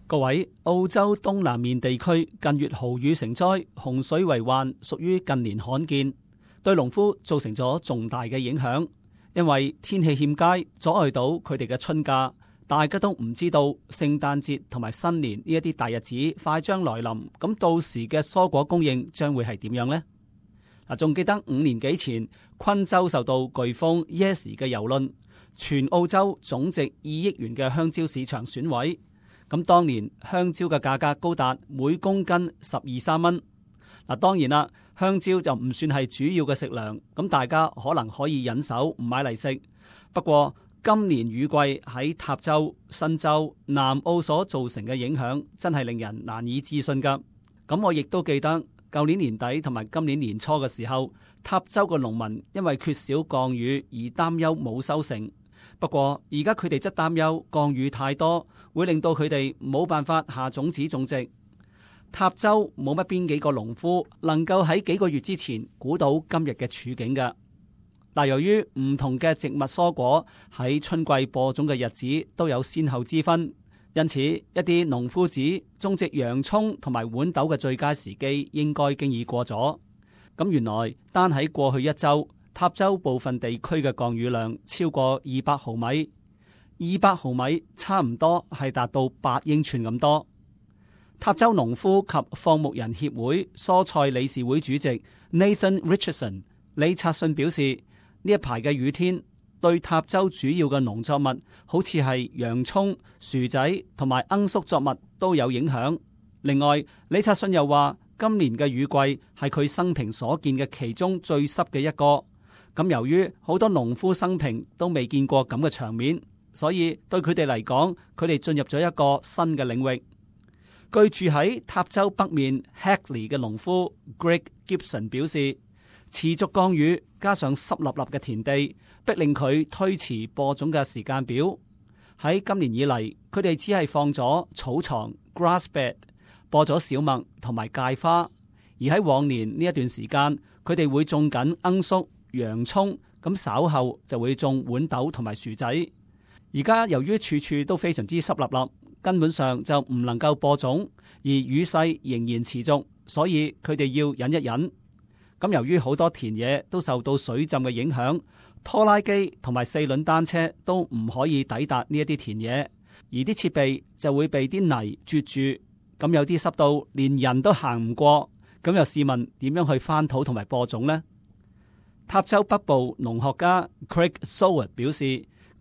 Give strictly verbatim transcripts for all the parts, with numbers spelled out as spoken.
各位，澳洲東南面地區近月豪雨成災，洪水為患，屬於近年罕見，對農夫造成咗重大嘅影響。因為天氣欠佳，阻礙到佢哋嘅春假，大家都唔知道聖誕節同埋新年呢一啲大日子快將來臨，咁到時嘅蔬果供應將會係點樣呢？嗱，仲記得五年幾前，昆州受到颶風 Yasi 嘅蹂躪，全澳洲總值二億元嘅香蕉市場損毀。咁當年香蕉嘅價格高達每公斤十二三蚊。嗱，當然啦，香蕉就唔算係主要嘅食糧，咁大家可能可以忍手唔買嚟食。不過今年雨季喺塔州、新州、南澳所造成嘅影響，真係令人難以置信噶。咁我亦都記得舊年年底同埋今年年初嘅時候，塔州嘅農民因為缺少降雨而擔憂冇收成。不過而家佢哋則擔憂降雨太多，會令到佢哋冇辦法下種子種植。塔州冇乜邊幾個農夫能夠喺幾個月之前估到今日嘅處境㗎。嗱，由於唔同嘅植物蔬果喺春季播種嘅日子都有先後之分，因此一啲農夫指種植洋蔥同埋豌豆嘅最佳時機應該經已過咗。咁原來單喺過去一周，塔州部分地區嘅降雨量超過二百毫米，二百毫米差唔多係達到八英寸咁多。塔州農夫及放牧人協會蔬菜理事會主席 Nathan Richardson 李察信表示，呢一排嘅雨天對塔州主要嘅農作物，好似係洋蔥、薯仔同埋罌粟作物都有影響。另外，李察信又話，今年嘅雨季係佢生平所見嘅其中最濕嘅一個。咁由於好多農夫生平都未見過咁嘅場面，所以對佢哋嚟講，佢哋進入咗一個新嘅領域。居住喺塔州北面 Hackley 嘅農夫 Greg Gibson 表示，持續降雨加上濕立立嘅田地，逼令佢推遲播種嘅時間表。喺今年以嚟，佢哋只係放咗草床 grass bed， 播咗小麥同埋芥花。而喺往年呢一段時間，佢哋會種緊罌粟、洋蔥，咁稍後就會種豌豆同埋薯仔。而家由於處處都非常之濕立立，根本上就唔能夠播種，而雨勢仍然持續，所以佢哋要忍一忍。咁由於好多田野都受到水浸嘅影響，拖拉機同埋四輪單車都唔可以抵達呢一啲田野，而啲設備就會被啲泥啜住，咁有啲濕到連人都行唔過，咁又試問點樣去翻土同埋播種呢？塔州北部農學家 Craig Soward 表示，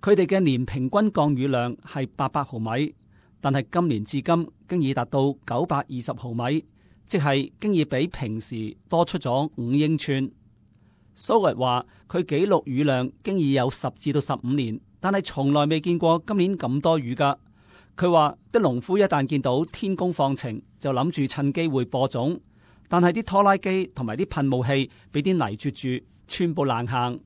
佢哋嘅年平均降雨量係八百毫米，但係今年至今經已達到九百二十毫米，即係經已比平時多出咗五英寸。Soward 話佢記錄雨量經已有十至到十五年，但係從來未見過今年咁多雨噶。佢話啲農夫一旦見到天公放晴，就諗住趁機會播種，但係啲拖拉機同埋啲噴霧器俾啲泥啜住，全部難行。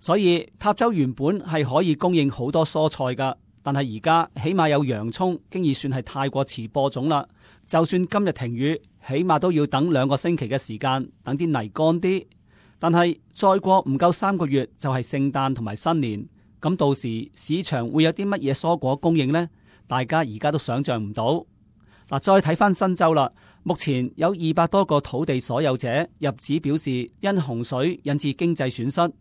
所以塔州原本係可以供應好多蔬菜噶，但係而家起碼有洋蔥，經已算係太過遲播種啦。就算今日停雨，起碼都要等兩個星期嘅時間，等啲泥乾啲。但係再過唔夠三個月就係聖誕同埋新年，咁到時市場會有啲乜嘢蔬果供應呢？大家而家都想象唔到。嗱，再睇翻新州啦，目前有二百多個土地所有者入紙表示因洪水引致經濟損失。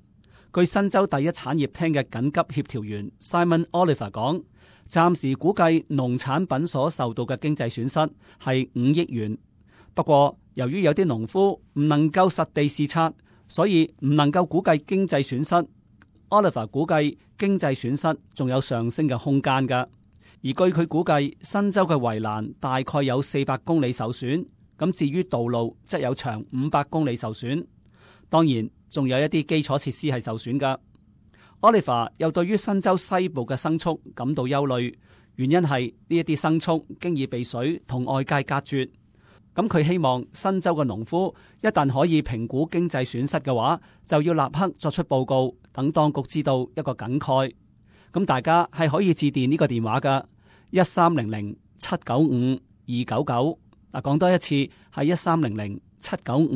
據新州第一產業廳嘅緊急協調員 Simon Oliver 講，暫時估計農產品所受到嘅經濟損失係五億元。不過由於有啲農夫唔能夠實地視察，所以唔能夠估計經濟損失。Oliver 估計經濟損失仲有上升嘅空間㗎。而據佢估計，新州嘅圍欄大概有四百公里受損，咁至於道路則有長五百公里受損。當然仲有一啲基礎設施係受損㗎。Oliver 又對於新州西部嘅牲畜感到憂慮，原因係呢一啲牲畜經已被水同外界隔絕。咁佢希望新州嘅農夫一旦可以評估經濟損失嘅話，就要立刻作出報告，等當局知道一個梗概。咁大家係可以致電呢個電話㗎，一三零零七九五二九九。嗱，講多一次係一三零零七九五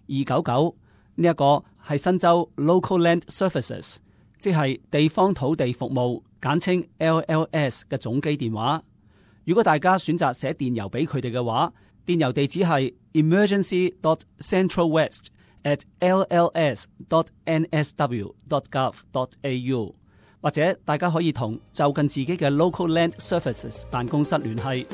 二九九。呢一個係新州 Local Land Services， 即係地方土地服務，簡稱 L L S 嘅總機電話。如果大家選擇寫電郵俾佢哋嘅話，電郵地址係 emergency dot centralwest at l l s dot n s w dot gov dot a u， 或者大家可以同就近自己嘅 local land services 辦公室聯繫。